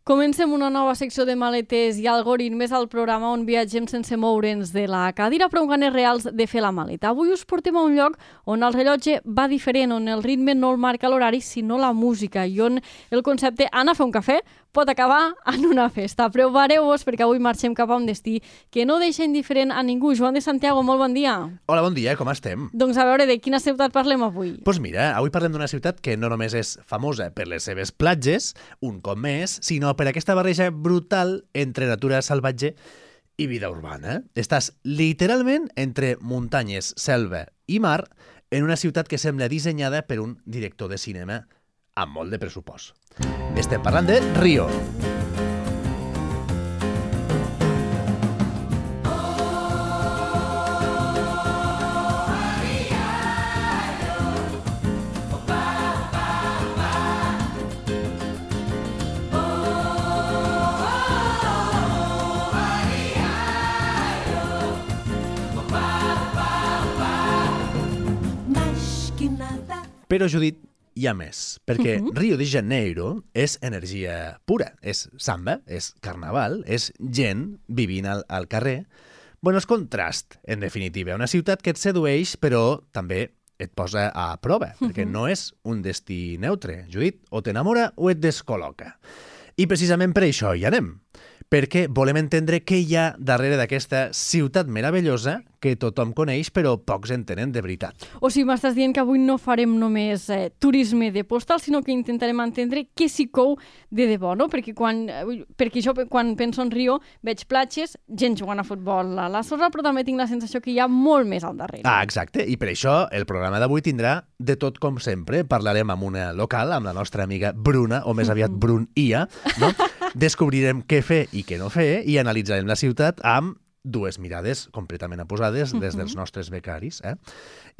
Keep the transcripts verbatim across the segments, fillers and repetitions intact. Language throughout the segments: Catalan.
Comencem una nova secció de maletes i algoritmes al programa on viatgem sense moure'ns de la cadira, però amb ganes reals de fer la maleta. Avui us portem a un lloc on el rellotge va diferent, on el ritme no el marca l'horari, sinó la música, i on el concepte anar a fer un cafè pot acabar en una festa. Prepareu-vos perquè avui marxem cap a un destí que no deixa indiferent a ningú. Joan de Santiago, molt bon dia. Hola, bon dia, com estem? Doncs a veure, de quina ciutat parlem avui? Doncs pues mira, avui parlem d'una ciutat que no només és famosa per les seves platges, un cop més, sinó per aquesta barreja brutal entre natura salvatge i vida urbana. Estàs literalment entre muntanyes, selva i mar en una ciutat que sembla dissenyada per un director de cinema amb molt de pressupost. Estem parlant de Rio. Però, Judit, hi ha més, perquè uh-huh. Rio de Janeiro és energia pura, és samba, és carnaval, és gent vivint al, al carrer. Bueno, és contrast, en definitiva, una ciutat que et sedueix, però també et posa a prova, uh-huh. perquè no és un destí neutre. Judit, o t'enamora o et descol·loca. I precisament per això hi anem, perquè volem entendre què hi ha darrere d'aquesta ciutat meravellosa que tothom coneix però pocs en tenen de veritat. O sigui, m'estàs dient que avui no farem només eh, turisme de postal, sinó que intentarem entendre què s'hi cou de debò, no? Perquè, quan, perquè jo quan penso en Rio veig platges, gent jugant a futbol a la sorra, però també tinc la sensació que hi ha molt més al darrere. Ah, exacte, i per això el programa d'avui tindrà de tot com sempre. Parlarem amb una local, amb la nostra amiga Bruna, o més aviat Brun-ia, no? Descobrirem què fer i què no fer i analitzarem la ciutat amb dues mirades completament oposades des dels nostres becaris. Eh?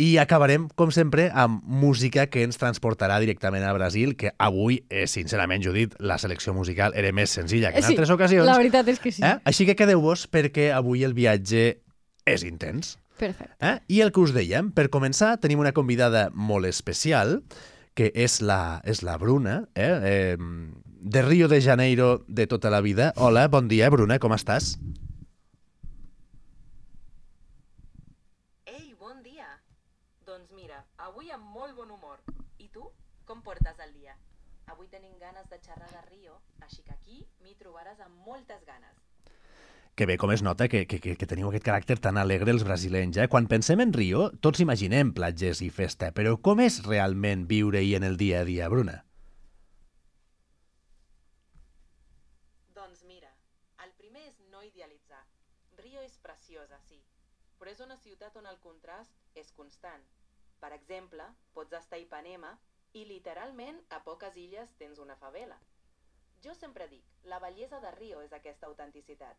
I acabarem, com sempre, amb música que ens transportarà directament a Brasil, que avui, eh, sincerament, Judit, la selecció musical era més senzilla que en sí, altres ocasions. La veritat és que sí. Eh? Així que quedeu-vos perquè avui el viatge és intens. Perfecte. Eh? I el que us dèiem, per començar, tenim una convidada molt especial, que és la, és la Bruna, eh? Eh, de Rio de Janeiro de tota la vida. Hola, bon dia, Bruna, com estàs? Ei, bon dia. Doncs mira, avui amb molt bon humor. I tu, com portes el dia? Avui tenim ganes de xerrar de Rio, així que aquí m'hi trobaràs amb moltes ganes. Que bé, com es nota que, que, que teniu aquest caràcter tan alegre els brasilenys. Eh? Quan pensem en Rio, tots imaginem platges i festa, però com és realment viure-hi en el dia a dia, Bruna? Doncs mira, el primer és no idealitzar. Rio és preciosa, sí, però és una ciutat on el contrast és constant. Per exemple, pots estar a Ipanema i literalment a poques illes tens una favela. Jo sempre dic, la bellesa de Rio és aquesta autenticitat.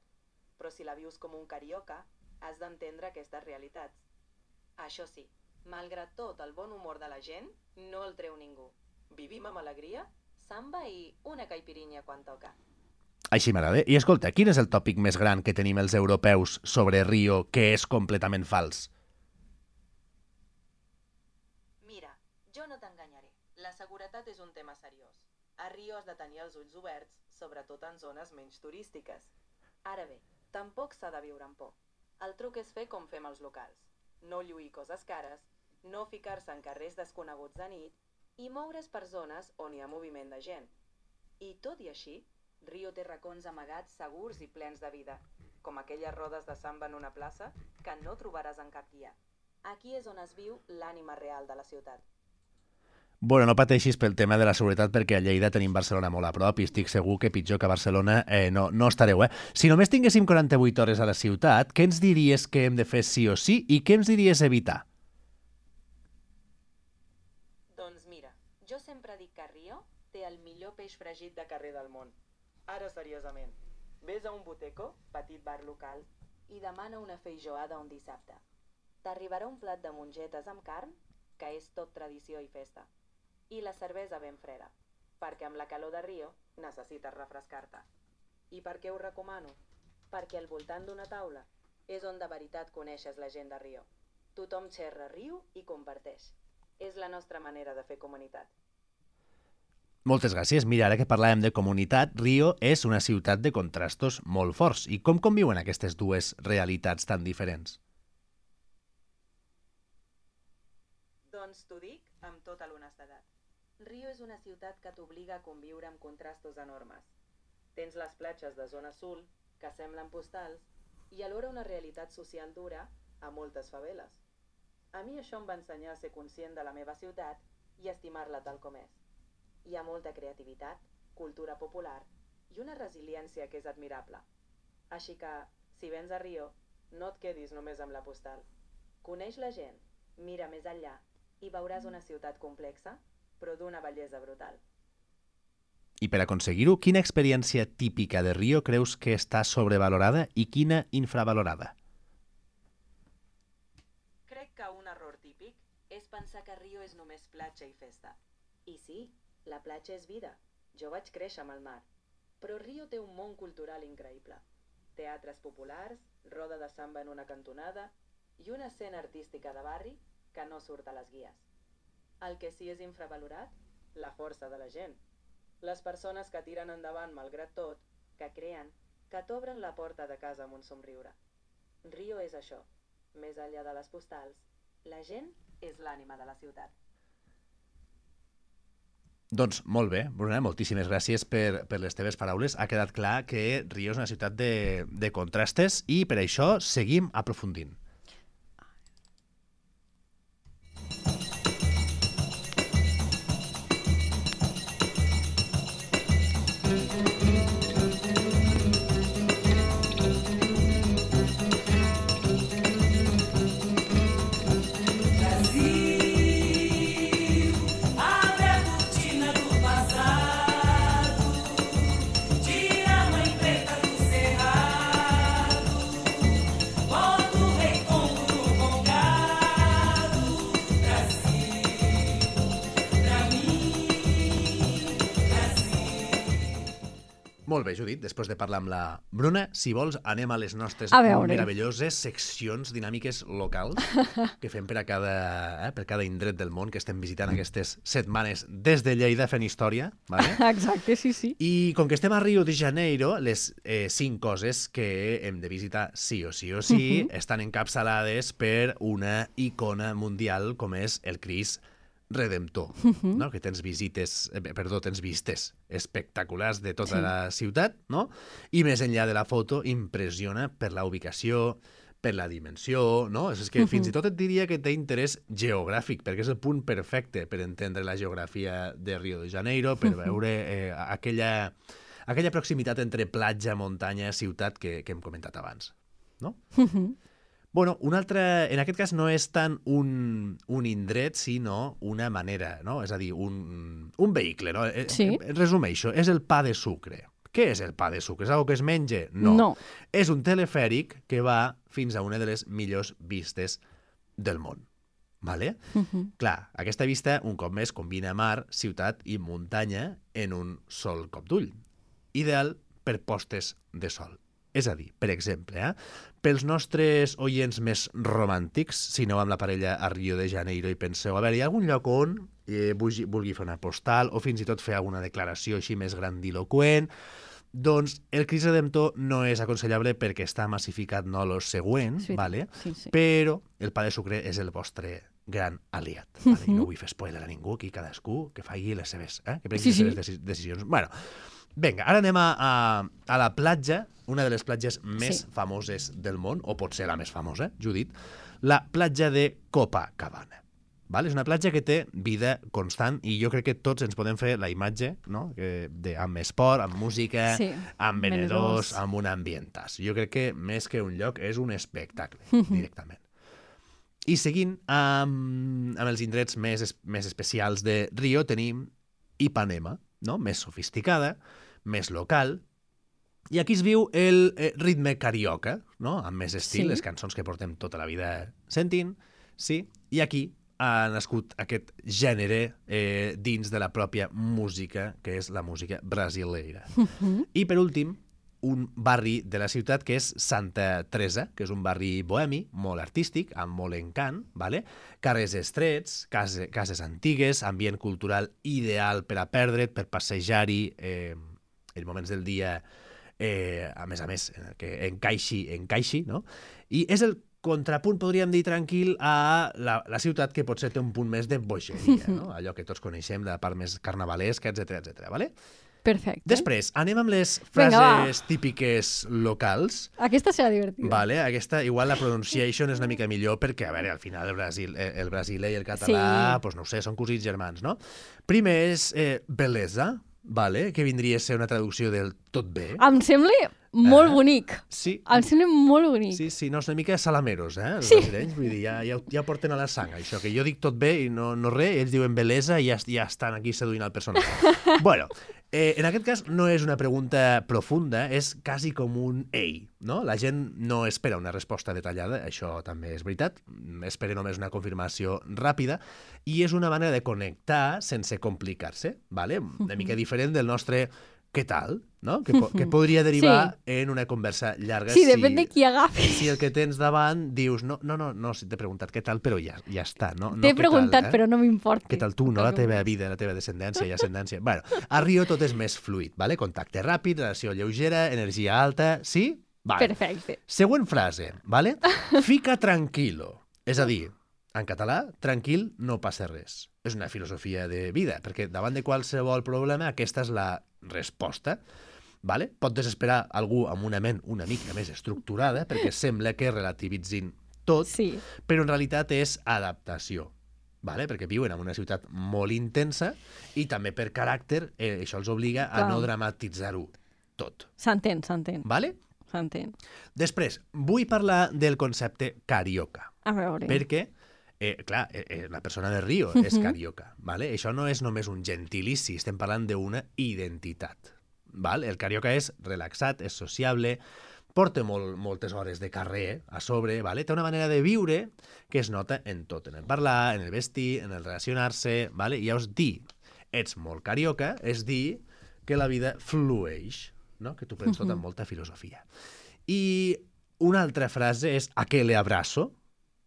Però si la vius com un carioca, has d'entendre aquestes realitats. Això sí, malgrat tot el bon humor de la gent, no el treu ningú. Vivim amb alegria, samba i una caipirinha quan toca. Així m'agrada. I escolta, quin és el tòpic més gran que tenim els europeus sobre Rio que és completament fals? Mira, jo no t'enganyaré. La seguretat és un tema seriós. A Rio has de tenir els ulls oberts, sobretot en zones menys turístiques. Ara bé, tampoc s'ha de viure amb por. El truc és fer com fem els locals. No lluir coses cares, no ficar-se en carrers desconeguts de nit i moure's per zones on hi ha moviment de gent. I tot i així, Rio té racons amagats segurs i plens de vida, com aquelles rodes de samba en una plaça que no trobaràs en cap guia. Aquí és on es viu l'ànima real de la ciutat. Bueno, no pateixis pel tema de la seguretat perquè a Lleida tenim Barcelona molt a prop i estic segur que pitjor que a Barcelona eh, no, no estareu. Eh? Si només tinguéssim quaranta-vuit hores a la ciutat, què ens diries que hem de fer sí o sí i què ens diries evitar? Doncs mira, jo sempre dic que Rio té el millor peix fregit de carrer del món. Ara seriosament, vés a un boteco, petit bar local, i demana una feijoada un dissabte. T'arribarà un plat de mongetes amb carn, que és tot tradició i festa. I la cervesa ben freda, perquè amb la calor de Rio necessites refrescar-te. I per què ho recomano? Perquè al voltant d'una taula és on de veritat coneixes la gent de Rio. Tothom xerra, riu i comparteix. És la nostra manera de fer comunitat. Moltes gràcies. Mira, ara que parlàvem de comunitat, Rio és una ciutat de contrastos molt forts. I com conviuen aquestes dues realitats tan diferents? Doncs t'ho dic amb tota l'honestedat. Rio és una ciutat que t'obliga a conviure amb contrastos enormes. Tens les platges de zona azul, que semblen postals, i alhora una realitat social dura a moltes faveles. A mi això em va ensenyar a ser conscient de la meva ciutat i estimar-la tal com és. Hi ha molta creativitat, cultura popular i una resiliència que és admirable. Així que, si vens a Rio, no et quedis només amb la postal. Coneix la gent, mira més enllà i veuràs una ciutat complexa, però d'una bellesa brutal. I per aconseguir-ho, quina experiència típica de Rio creus que està sobrevalorada i quina infravalorada? Crec que un error típic és pensar que Rio és només platja i festa. I sí, la platja és vida. Jo vaig créixer amb el mar. Però Rio té un món cultural increïble. Teatres populars, roda de samba en una cantonada i una escena artística de barri que no surt a les guies. El que sí és infravalorat, la força de la gent. Les persones que tiren endavant malgrat tot, que creen, que t'obren la porta de casa amb un somriure. Rio és això. Més enllà de les postals, la gent és l'ànima de la ciutat. Doncs molt bé, Bruna, moltíssimes gràcies per, per les teves paraules. Ha quedat clar que Rio és una ciutat de, de contrastes i per això seguim aprofundint. Molt bé, Judit, després de parlar amb la Bruna, si vols, anem a les nostres meravelloses seccions dinàmiques locals que fem per a cada, eh, per cada indret del món que estem visitant aquestes setmanes des de Lleida fent història. Vale? Exacte, sí, sí. I com que estem a Rio de Janeiro, les eh, cinc coses que hem de visitar sí o sí o sí uh-huh. estan encapçalades per una icona mundial com és el Crist Redemptor, uh-huh. no? Que tens visites, eh, perdó, tens vistes espectaculars de tota sí. la ciutat, no? I més enllà de la foto, impressiona per la ubicació, per la dimensió, no? És que uh-huh. fins i tot et diria que té interès geogràfic, perquè és el punt perfecte per entendre la geografia de Rio de Janeiro, per uh-huh. veure eh, aquella, aquella proximitat entre platja, muntanya, ciutat que, que hem comentat abans, no? Uh-huh. Bueno, un altre, en aquest cas no és tant un, un indret, sinó una manera, no? És a dir, un, un vehicle, no? Sí. Resumeixo, és el pa de sucre. Què és el pa de sucre? És algo que es menja? No. no. És un telefèric que va fins a una de les millors vistes del món. Vale? Uh-huh. Clar, aquesta vista, un cop més, combina mar, ciutat i muntanya en un sol cop d'ull. Ideal per postes de sol. És a dir, per exemple, eh, pels nostres oients més romàntics, si aneu amb la parella a Rio de Janeiro i penseu, a veure, hi ha algun lloc on eh, vulgui, vulgui fer una postal o fins i tot fer alguna declaració així més grandiloquent, doncs el Crist Redemptor no és aconsellable perquè està massificat no lo següent, sí, vale? Sí, sí. Però el pa de sucre és el vostre gran aliat. Vale? Uh-huh. I no vull fer spoiler a ningú, aquí cadascú que faci les seves, eh? que prengui sí, les seves sí. decisions. Bueno, vinga, ara anem a, a, a la platja, una de les platges més sí. famoses del món, o potser la més famosa, Judit, la platja de Copacabana. Vale? És una platja que té vida constant i jo crec que tots ens podem fer la imatge, no? que de, amb esport, amb música, sí. amb venedors, amb un ambientàs. Jo crec que més que un lloc és un espectacle, directament. I seguint amb, amb els indrets més, més especials de Rio tenim Ipanema, no? Més sofisticada, més local, i aquí es viu el eh, ritme carioca, no? Amb més estil, sí. les cançons que portem tota la vida sentint, sí, i aquí ha nascut aquest gènere eh, dins de la pròpia música, que és la música brasileira. Uh-huh. I per últim, un barri de la ciutat que és Santa Teresa, que és un barri bohemi, molt artístic, amb molt encant, vale? Carrers estrets, case, cases antigues, ambient cultural ideal per a perdre't, per passejar-hi eh, en moments del dia, eh, a més a més, que encaixi, encaixi, no? I és el contrapunt, podríem dir, tranquil a la, la ciutat que potser té un punt més de bogeria, no? Allò que tots coneixem, la part més carnavalesca, etcètera, etcètera, vale? Perfecte. Després, anem amb les frases Venga, típiques locals. Aquesta serà divertida. Vale, aquesta, igual la pronunciation és una mica millor perquè, a veure, al final el, Brasil, el brasiler i el català, sí. pues no ho sé, són cosins germans, no? Primer és eh, belesa, vale, que vindria a ser una traducció del tot bé. Em sembla molt eh? bonic. Sí. Em sembla molt bonic. Sí, sí, no, és una mica salameros, eh, els sí. brasilenys, vull dir, ja, ja, ja porten a la sang, això, que jo dic tot bé i no, no res, ells diuen belesa i ja, ja estan aquí seduint el personatge. Bueno, eh, en aquest cas no és una pregunta profunda, és quasi com un ei, no? La gent no espera una resposta detallada, això també és veritat, espera només una confirmació ràpida, i és una manera de connectar sense complicar-se, ¿vale? Una mica diferent del nostre què tal, no? Que, po que podria derivar sí. en una conversa llarga. Sí, si, depèn de qui agafi. Si el que tens davant dius, no, no, no, no si t'he preguntat què tal, però ja, ja està. No, t'he no, preguntat, tal, eh? però no m'importa. Què tal tu, no? La teva vida, la teva descendència i ascendència. Bueno, a Rio tot és més fluid, ¿vale? Contacte ràpid, relació lleugera, energia alta, sí? Vale. Perfecte. Següent frase, ¿vale? Fica tranquilo. És a dir, en català, tranquil, no passa res. És una filosofia de vida, perquè davant de qualsevol problema aquesta és la resposta. Vale? Pot desesperar algú amb una ment una mica més estructurada, perquè sembla que relativitzin tot, sí. però en realitat és adaptació. Vale? Perquè viuen en una ciutat molt intensa i també per caràcter eh, això els obliga a Clar. no dramatitzar-ho tot. S'entén, s'entén. Vale? S'entén. Després, vull parlar del concepte carioca. A veure. Perquè Eh, clar, eh, la persona de Rio uh -huh. és carioca, ¿vale? Això no és només un gentilici, estem parlant d'una identitat, ¿vale? El carioca és relaxat, és sociable, porta molt, moltes hores de carrer a sobre, ¿vale? Té una manera de viure que es nota en tot, en el parlar, en el vestir, en el relacionar-se, ¿vale? I llavors dir, ets molt carioca, és dir que la vida flueix, no? Que tu prens tot amb molta filosofia. I una altra frase és a què le abrazo,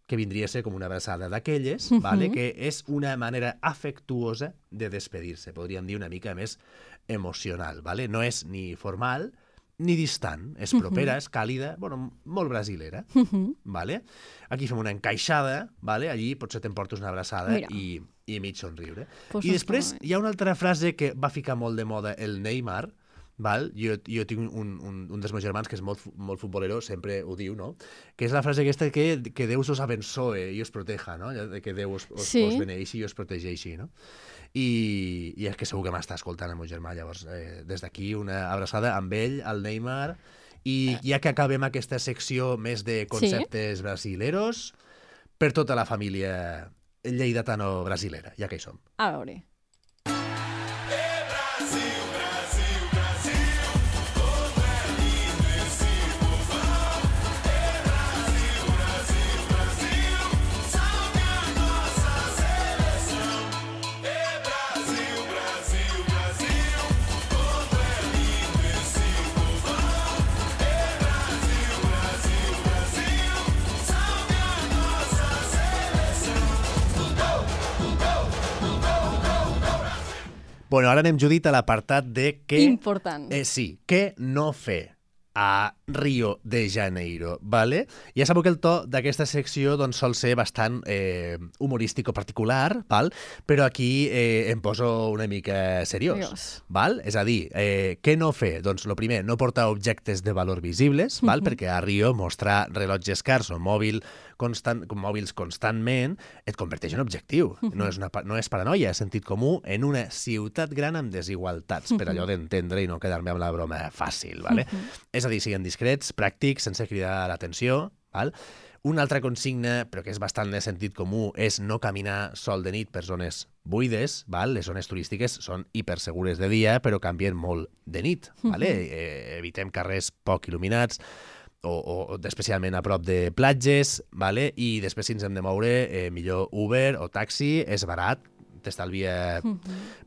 que vindria a ser com una abraçada d'aquelles, uh -huh. ¿vale? Que és una manera afectuosa de despedir-se, podríem dir una mica més emocional, ¿vale? No és ni formal ni distant, és propera, uh -huh. és càlida, bueno, molt brasilera, uh -huh. ¿vale? Aquí fem una encaixada, ¿vale? Allí potser t'emportes una abraçada i, i mig somriure. Pues I després hi ha una altra frase que va ficar molt de moda el Neymar, val? Jo, jo tinc un, un, un dels meus germans que és molt, molt futbolero, sempre ho diu, no? Que és la frase aquesta que, que Déu us abençoe i us proteja, no? Que Déu us, us, sí. us beneixi i us protegeixi, no? I, i és que segur que m'està escoltant el meu germà, llavors eh, des d'aquí una abraçada amb ell, al Neymar, i ja que acabem aquesta secció més de conceptes sí. brasileros, per tota la família lleidatano-brasilera, ja que hi som. A veure. Bueno, ara anem, Judit, a l'apartat de què... Important. Eh, sí, què no fer a Rio de Janeiro, ¿vale? Ja sabeu que el to d'aquesta secció doncs, sol ser bastant eh, humorístic o particular, ¿val? Però aquí eh, em poso una mica seriós, Dios. ¿Val? És a dir, eh, què no fer? Doncs, el primer, no portar objectes de valor visibles, ¿val? Uh-huh. Perquè a Rio mostrar rellotges cars o mòbil constant, mòbils constantment et converteix en objectiu. Uh-huh. No és, una, no és paranoia, és sentit comú en una ciutat gran amb desigualtats, uh-huh. per allò d'entendre i no quedar-me amb la broma fàcil, ¿vale? Uh-huh. És a dir, siguin discrets, pràctics, sense cridar l'atenció, val? Una altra consigna, però que és bastant de sentit comú, és no caminar sol de nit per zones buides, val? Les zones turístiques són hipersegures de dia, però canvien molt de nit, vale? Uh-huh. eh, evitem carrers poc il·luminats, o, o especialment a prop de platges, vale? I després si ens hem de moure, eh, millor Uber o taxi, és barat, t'estalvia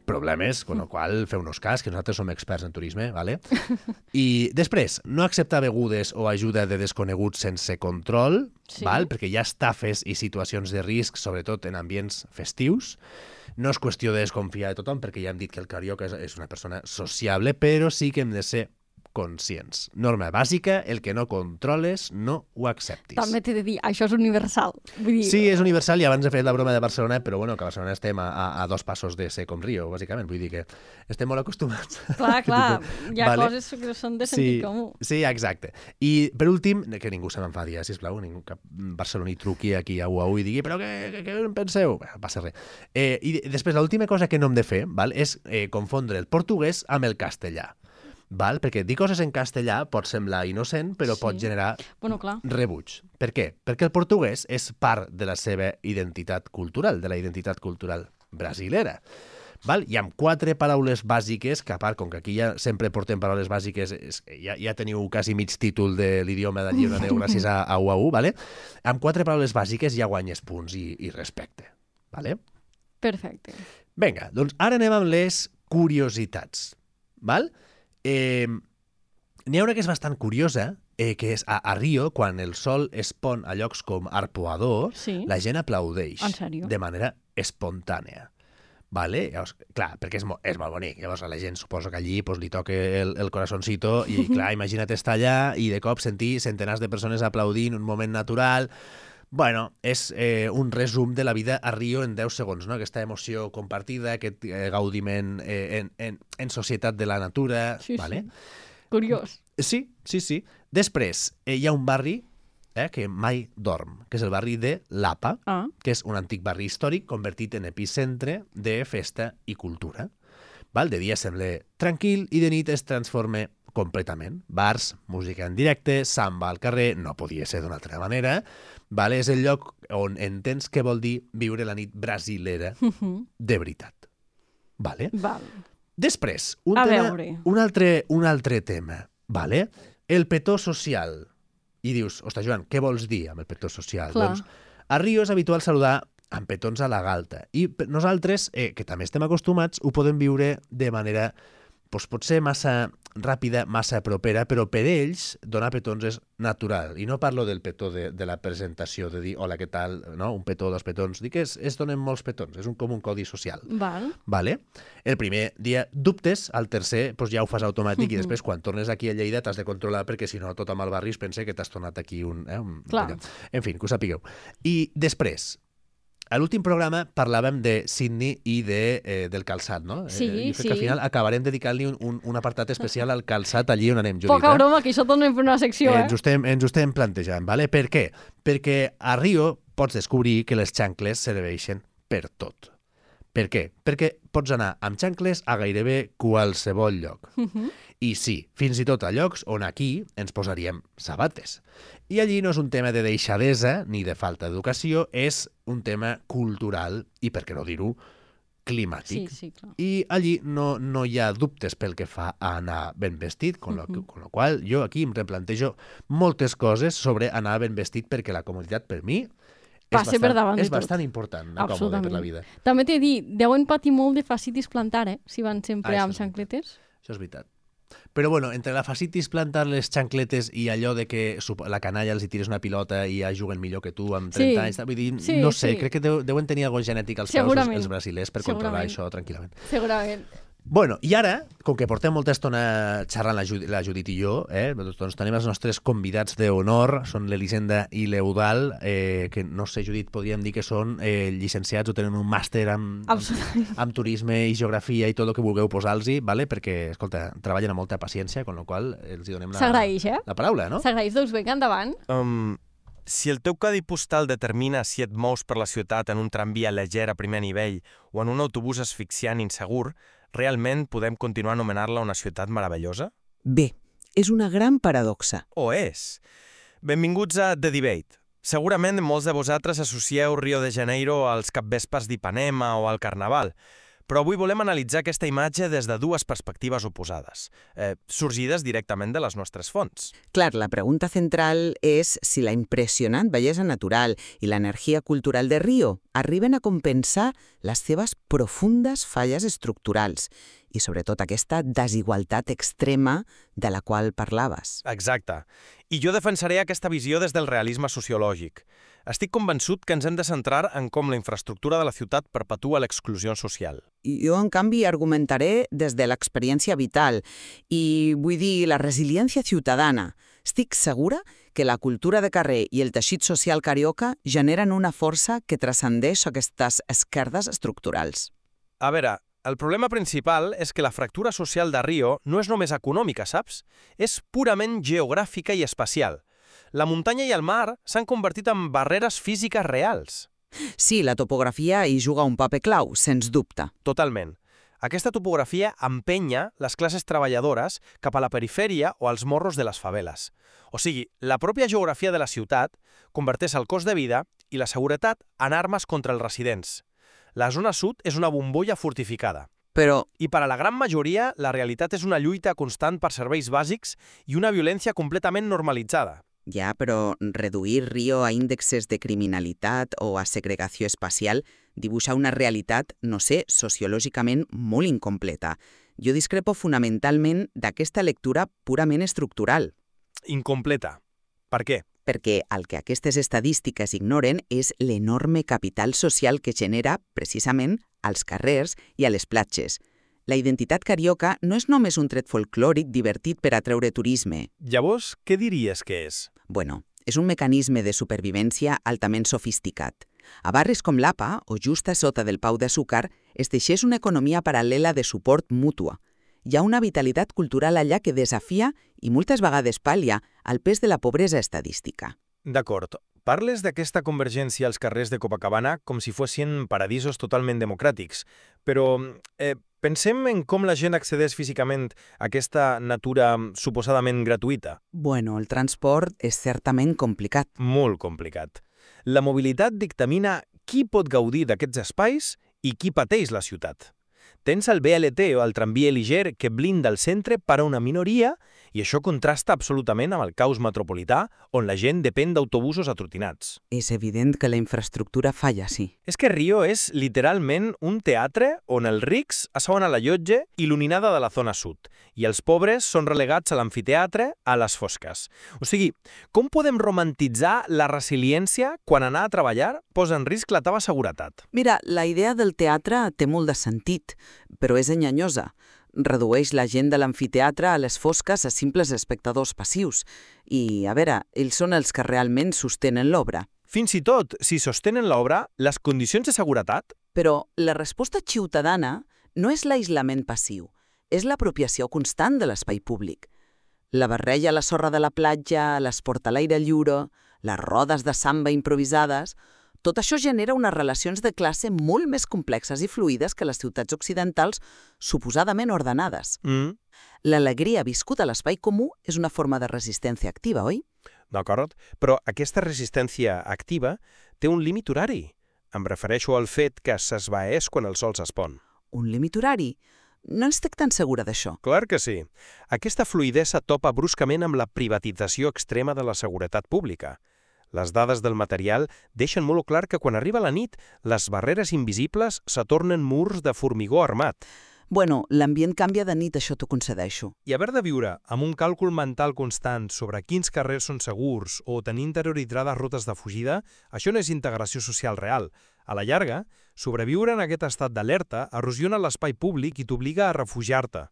problemes, con el qual feu-nos cas, que nosaltres som experts en turisme, ¿vale? I després, no acceptar begudes o ajuda de desconeguts sense control, Sí. val? Perquè hi ha estafes i situacions de risc, sobretot en ambients festius. No és qüestió de desconfiar de tothom, perquè ja hem dit que el carioca és, és una persona sociable, però sí que hem de ser conscients. Norma bàsica, el que no controles, no ho acceptis. També t'he de dir, això és universal. Vull dir, Sí, és universal, i abans he fet la broma de Barcelona, però bueno, que a Barcelona estem a, a, a dos passos de ser com Rio, bàsicament. Vull dir que estem molt acostumats. Clar, clar, hi ha Vale. coses que són de sentit Sí, comú. sí, exacte. I per últim, que ningú se m'enfadi, eh, sisplau, ningú cap barceloní truqui aquí a U A U i digui però què, què, què en penseu? Bé, no passa res. Eh, I després, l'última cosa que no hem de fer, val, és eh, confondre el portuguès amb el castellà. Val? Perquè dir coses en castellà pot semblar innocent, però Sí. pot generar Bueno, clar. rebuig. Per què? Perquè el portuguès és part de la seva identitat cultural, de la identitat cultural brasilera. Val? Hi ha quatre paraules bàsiques, que a part, com que aquí ja sempre portem paraules bàsiques, és, ja, ja teniu quasi mig títol de l'idioma d'allí on aneu gràcies a, a U A U, vale? Amb quatre paraules bàsiques ja guanyes punts i, i respecte. Vale? Perfecte. Vinga, doncs ara anem amb les curiositats. Val? Eh, N'hi ha una que és bastant curiosa, eh, que és a, a Rio, quan el sol es pon a llocs com Arpoador, Sí. la gent aplaudeix En sèrio? de manera espontània. Vale? Llavors, clar, perquè és, mo és molt bonic. Llavors a la gent suposo que allí pues, li toca el, el corazoncito i, clar, imagina't estar allà i de cop sentir centenars de persones aplaudint un moment natural. Bueno, és eh, un resum de la vida a Rio en deu segons, no? Aquesta emoció compartida, aquest eh, gaudiment eh, en, en, en societat de la natura. Sí, vale? sí. Curiós. Sí, sí, sí. Després, eh, hi ha un barri eh, que mai dorm, que és el barri de Lapa, Ah, que és un antic barri històric convertit en epicentre de festa i cultura. Val? De dia sembla tranquil i de nit es transforma completament. Bars, música en directe, samba al carrer, no podia ser d'una altra manera. Vale? És el lloc on entens què vol dir viure la nit brasilera de veritat. Vale? val. Després, un, A tema, veure. un, altre, un altre tema, vale? El petó social. I dius, ostres, Joan, què vols dir amb el petó social? Clar. Doncs a Rio és habitual saludar amb petons a la galta. I per- nosaltres, eh, que també estem acostumats, ho podem viure de manera, doncs, potser massa ràpida, massa propera, però per ells donar petons és natural. I no parlo del petó de, de la presentació, de dir, hola, què tal, no? Un petó, dos petons. Dic que es, es donen molts petons, és un, com un codi social. Val. Vale? El primer dia dubtes, el tercer doncs ja ho fas automàtic i després quan tornes aquí a Lleida t'has de controlar perquè si no tothom al barri es pensa que t'has tornat aquí un... Eh, un Clar. En fi, que ho sapigueu. I després, a l'últim programa parlàvem de Sydney i de, eh, del calçat, no? Sí, eh, jo crec sí. que al final acabarem dedicant-li un, un, un apartat especial al calçat allí on anem, Judit. Poca eh? broma, que això tornem a fer una secció, Eh, eh? ens, ho estem, ens ho estem plantejant, vale? Per què? Perquè a Rio pots descobrir que les xancles serveixen per tot. Per què? Perquè pots anar amb xancles a gairebé qualsevol lloc. I sí, fins i tot a llocs on aquí ens posaríem sabates. I allí no és un tema de deixadesa ni de falta d'educació, és un tema cultural i, per què no dir-ho, Sí, climàtic. sí, clar. I allí no, no hi ha dubtes pel que fa a anar ben vestit, con lo, uh-huh. con lo qual jo aquí em replantejo moltes coses sobre anar ben vestit perquè la comoditat per mi és Passa per bastant, davant de és tot. bastant important, anar còmode per la vida. També t'he dit, deuen patir molt de fascitis plantar, eh? Si van sempre Ah, això amb és xancletes. Això és veritat. Però bueno, entre la facitis plantar les xancletes i allò de que supo- la canalla els hi tires una pilota i ja juguen millor que tu amb trenta Sí. anys, vull dir, Sí, no sé, sí. crec que deu, deuen tenir alguna genètic als peus els, Segurament. els brasilers per controlar Segurament. això tranquil·lament. Segurament. Bueno, i ara, com que portem molta estona xerrant la, Judit, la Judit i jo, eh, doncs tenim els nostres convidats d'honor, són l'Elisenda i l'Eudal, eh, que no sé, Judit, podríem dir que són eh, llicenciats o tenen un màster amb, amb, Absolutament. amb turisme i geografia i tot el que vulgueu posar-los, vale? Perquè, escolta, treballen amb molta paciència, con la qual els hi donem la, S'agraeix, eh? la paraula, no? S'agraeix, doncs vinga, endavant. Um, si el teu codi postal determina si et mous per la ciutat en un tramvia lleger a primer nivell o en un autobús asfixiant insegur, realment podem continuar a anomenar-la una ciutat meravellosa? Bé, és una gran paradoxa. O és? Benvinguts a The Debate. Segurament molts de vosaltres associeu Rio de Janeiro als capvespres d'Ipanema o al Carnaval, Però avui volem analitzar aquesta imatge des de dues perspectives oposades, eh, sorgides directament de les nostres fonts. Clar, la pregunta central és si la impressionant bellesa natural i l'energia cultural de Rio arriben a compensar les seves profundes falles estructurals i sobretot aquesta desigualtat extrema de la qual parlaves. Exacte. I jo defensaré aquesta visió des del realisme sociològic. Estic convençut que ens hem de centrar en com la infraestructura de la ciutat perpetua l'exclusió social. I jo, en canvi, argumentaré des de l'experiència vital i, vull dir, la resiliència ciutadana. Estic segura que la cultura de carrer i el teixit social carioca generen una força que transcendeix aquestes esquerdes estructurals. A veure, el problema principal és que la fractura social de Rio no és només econòmica, saps? És purament geogràfica i espacial. La muntanya i el mar s'han convertit en barreres físiques reals. Sí, la topografia hi juga un paper clau, sens dubte. Totalment. Aquesta topografia empenya les classes treballadores cap a la perifèria o als morros de les faveles. O sigui, la pròpia geografia de la ciutat converteix el cost de vida i la seguretat en armes contra els residents. La zona sud és una bombolla fortificada. Però, I per a la gran majoria, la realitat és una lluita constant per serveis bàsics i una violència completament normalitzada. ja, però reduir Rio a índexes de criminalitat o a segregació espacial dibuixa una realitat, no sé, sociològicament molt incompleta. Jo discrepo fonamentalment d'aquesta lectura purament estructural. Incompleta. Per què? Perquè el que aquestes estadístiques ignoren és l'enorme capital social que genera, precisament, als carrers i a les platges. La identitat carioca no és només un tret folclòric divertit per atreure turisme. Llavors, què diries que és? Bueno, és un mecanisme de supervivència altament sofisticat. A barris com l'A P A, o just a sota del Pau de Súcar, es teixeix una economia paral·lela de suport mútua. Hi ha una vitalitat cultural allà que desafia i moltes vegades pal·lia el pes de la pobresa estadística. D'acord. Parles d'aquesta convergència als carrers de Copacabana com si fossin paradisos totalment democràtics, però eh, pensem en com la gent accedeix físicament a aquesta natura suposadament gratuïta. Bueno, el transport és certament complicat. Molt complicat. La mobilitat dictamina qui pot gaudir d'aquests espais i qui pateix la ciutat. Tens el B L T o el tramvia liger que blinda el centre per a una minoria i això contrasta absolutament amb el caos metropolità on la gent depèn d'autobusos atrotinats. És evident que la infraestructura falla, sí. És que Rio és literalment un teatre on els rics asseuen a la llotja il·luminada de la zona sud i els pobres són relegats a l'amfiteatre a les fosques. O sigui, com podem romantitzar la resiliència quan anar a treballar posa en risc la teva seguretat? Mira, la idea del teatre té molt de sentit, però és enganyosa. Redueix la gent de l'amfiteatre a les fosques a simples espectadors passius. I, a veure, ells són els que realment sostenen l'obra. Fins i tot, si sostenen l'obra, les condicions de seguretat... Però la resposta ciutadana no és l'aïllament passiu, és l'apropiació constant de l'espai públic. La barreja a la sorra de la platja, l'esport a l'aire lliure, les rodes de samba improvisades... Tot això genera unes relacions de classe molt més complexes i fluides que les ciutats occidentals suposadament ordenades. Mm. L'alegria viscuda a l'espai comú és una forma de resistència activa, oi? D'acord, però aquesta resistència activa té un límit horari. Em refereixo al fet que s'esvaeix quan el sol s'espon. Un límit horari? No estic tan segura d'això. Clar que sí. Aquesta fluïdesa topa bruscament amb la privatització extrema de la seguretat pública. Les dades del material deixen molt clar que quan arriba la nit, les barreres invisibles se tornen murs de formigó armat. Bueno, l'ambient canvia de nit, això t'ho concedeixo. I haver de viure amb un càlcul mental constant sobre quins carrers són segurs o tenir interioritzades rutes de fugida, això no és integració social real. A la llarga, sobreviure en aquest estat d'alerta erosiona l'espai públic i t'obliga a refugiar-te.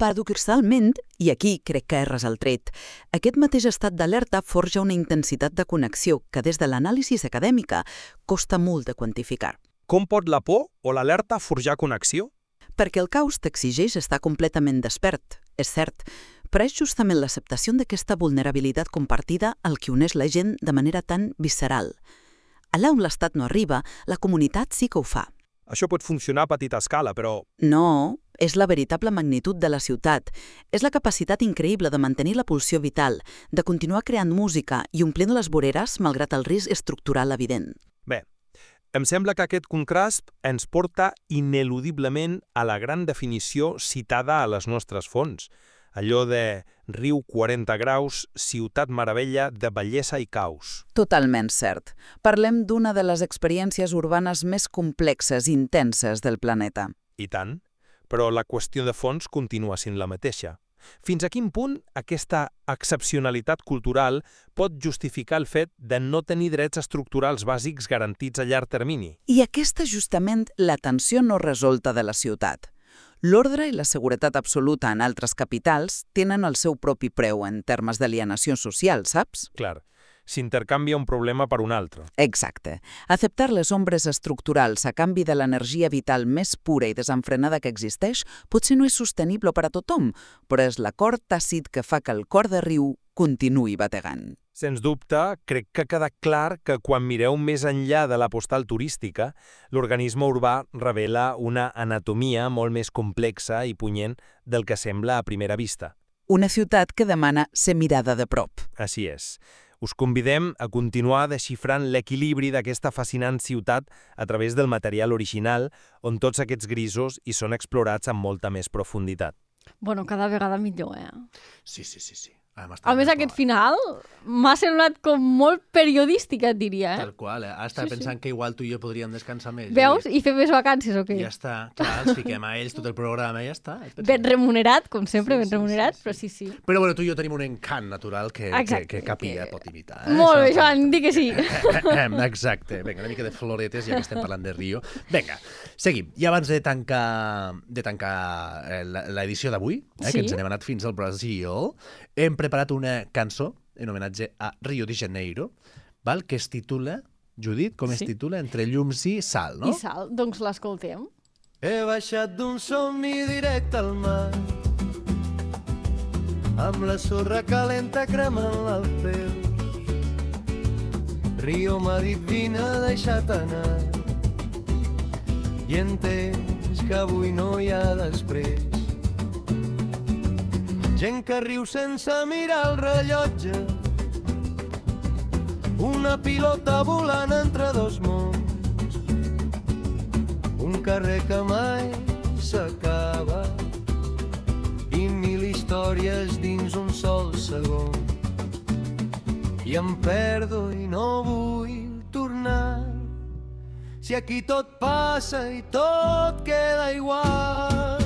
Paradoxalment, i aquí crec que erres el tret, aquest mateix estat d'alerta forja una intensitat de connexió que des de l'anàlisi acadèmica costa molt de quantificar. Com pot la por o l'alerta forjar connexió? Perquè el caos t'exigeix estar completament despert, és cert, però és justament l'acceptació d'aquesta vulnerabilitat compartida el que uneix la gent de manera tan visceral. Allà on l'estat no arriba, la comunitat sí que ho fa. Això pot funcionar a petita escala, però... No, és la veritable magnitud de la ciutat. És la capacitat increïble de mantenir la pulsió vital, de continuar creant música i omplint les voreres malgrat el risc estructural evident. Bé, Em sembla que aquest contrast ens porta ineludiblement a la gran definició citada a les nostres fonts, allò de riu quaranta graus, ciutat meravella de bellesa i caos. Totalment cert. Parlem d'una de les experiències urbanes més complexes i intenses del planeta. I tant, però la qüestió de fons continua sent la mateixa. Fins a quin punt aquesta excepcionalitat cultural pot justificar el fet de no tenir drets estructurals bàsics garantits a llarg termini? I aquesta és justament la tensió no resolta de la ciutat. L'ordre i la seguretat absoluta en altres capitals tenen el seu propi preu en termes d'alienació social, saps? Clar, s'intercanvia un problema per un altre. Exacte. Acceptar les ombres estructurals a canvi de l'energia vital més pura i desenfrenada que existeix potser no és sostenible per a tothom, però és l'acord tàcit que fa que el cor de riu continuï bategant. Sens dubte, crec que ha quedat clar que quan mireu més enllà de la postal turística, l'organisme urbà revela una anatomia molt més complexa i punyent del que sembla a primera vista. Una ciutat que demana ser mirada de prop. Així és. Us convidem a continuar desxifrant l'equilibri d'aquesta fascinant ciutat a través del material original, on tots aquests grisos hi són explorats amb molta més profunditat. Bueno, cada vegada millor, eh? Sí, sí, sí, sí. A més, aquest final m'ha semblat com molt periodístic, et diria, eh? Tal qual, eh? Estava Sí, sí. pensant que igual tu i jo podríem descansar més. Veus? I fer més vacances, o què? Ja està, clar, els fiquem a ells tot el programa i ja està. Ben remunerat, com sempre, Sí, ben sí, remunerat, sí, sí. però sí, sí. Però bueno, tu i jo tenim un encant natural que, que, Exacte, que capilla que- pot imitar. Eh? Molt bé, Això- Joan, di que sí. Exacte. Vinga, una mica de floretes, ja que estem parlant de Rio. Vinga, seguim. I abans de tancar, de tancar eh, la- l'edició d'avui, eh, Sí. que ens n'hem anat fins al Brasil, hem preparat una cançó en homenatge a Rio de Janeiro, val? Que es titula, Judit, com es Sí. titula? Entre llums i sal, no? I sal, doncs l'escoltem. He baixat d'un somni directe al mar, amb la sorra calenta cremant el peu. Rio m'ha dit vine, deixa't anar, i he entès que avui no hi ha després. Gent que riu sense mirar el rellotge, una pilota volant entre dos mons, un carrer que mai s'acaba i mil històries dins un sol segon. I em perdo i no vull tornar, si aquí tot passa i tot queda igual.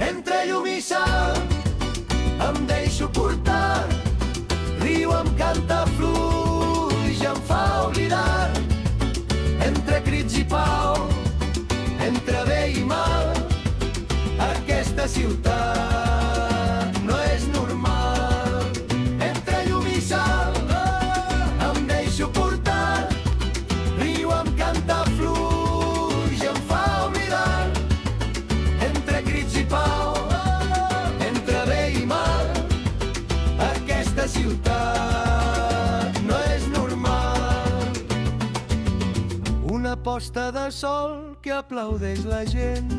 Entre llum i sal em deixo portar, riu em canta fluix, em fa oblidar. Entre crits i pau, entre bé i mal, aquesta ciutat no és normal. Entre llum i sal em deixo portar, riu em canta fluix, em fa oblidar. Entre crits i pau, entre bé i mal, aquesta ciutat no és normal. Una posta de sol que aplaudeix la gent,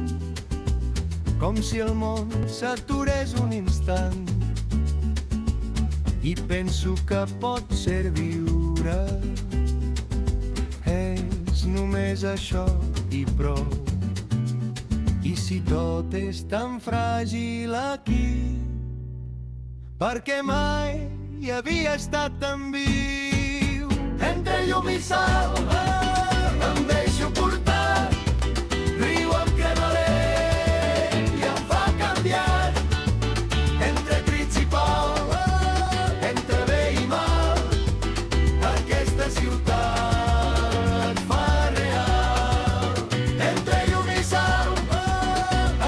com si el món s'aturés un instant. I penso que pot ser viure, és només això i prou. I si tot és tan fràgil aquí, perquè mai hi havia estat tan viu. Entre llum i sal em deixo portar, riu em crema l'ell i em fa canviar. Entre crits i pau, entre bé i mal, aquesta ciutat fa real. Entre llum i sal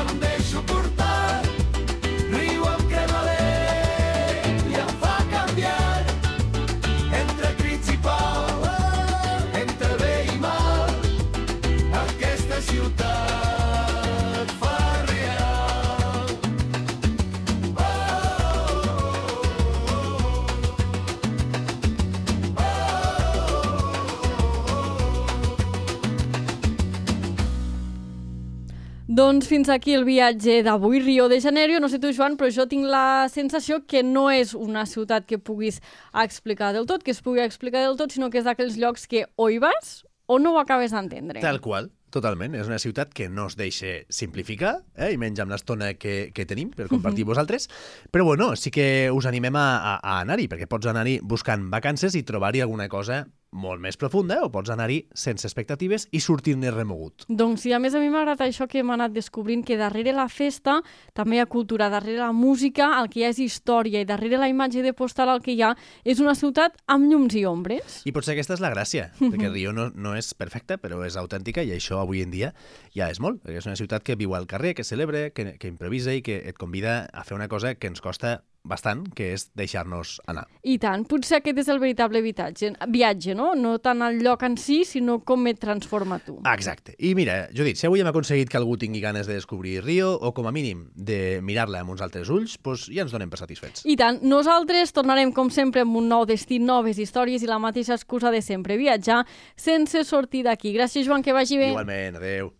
em deixo portar, riu em crema l'ell i em fa canviar. Entre crits i pau, entre bé i mal, aquesta ciutat fa real. Doncs fins aquí el viatge d'avui, Rio de Janeiro. No sé tu, Joan, però jo tinc la sensació que no és una ciutat que puguis explicar del tot, que es pugui explicar del tot, sinó que és d'aquells llocs que o hi vas o no ho acabes d'entendre. Tal qual, totalment. És una ciutat que no es deixa simplificar, eh? I menys amb l'estona que, que tenim per compartir amb vosaltres. Però bueno, sí que us animem a, a, a anar-hi, perquè pots anar-hi buscant vacances i trobar-hi alguna cosa molt més profunda, o pots anar-hi sense expectatives i sortir-ne remogut. Doncs sí, a més a mi m'agrada això que hem anat descobrint, que darrere la festa també hi ha cultura, darrere la música el que hi ha és història, i darrere la imatge de postal el que hi ha és una ciutat amb llums i ombres. I potser aquesta és la gràcia, perquè Rio no, no és perfecta, però és autèntica, i això avui en dia ja és molt, perquè és una ciutat que viu al carrer, que celebra, que, que improvisa i que et convida a fer una cosa que ens costa bastant, que és deixar-nos anar. I tant, potser aquest és el veritable viatge, viatge, no? No tant el lloc en si, sinó com et transforma tu. Exacte. I mira, Judit, si avui hem aconseguit que algú tingui ganes de descobrir Rio, o com a mínim de mirar-la amb uns altres ulls, doncs ja ens donem per satisfets. I tant, nosaltres tornarem com sempre amb un nou destí, noves històries i la mateixa excusa de sempre, viatjar sense sortir d'aquí. Gràcies, Joan, que vagi bé. Igualment, adeu.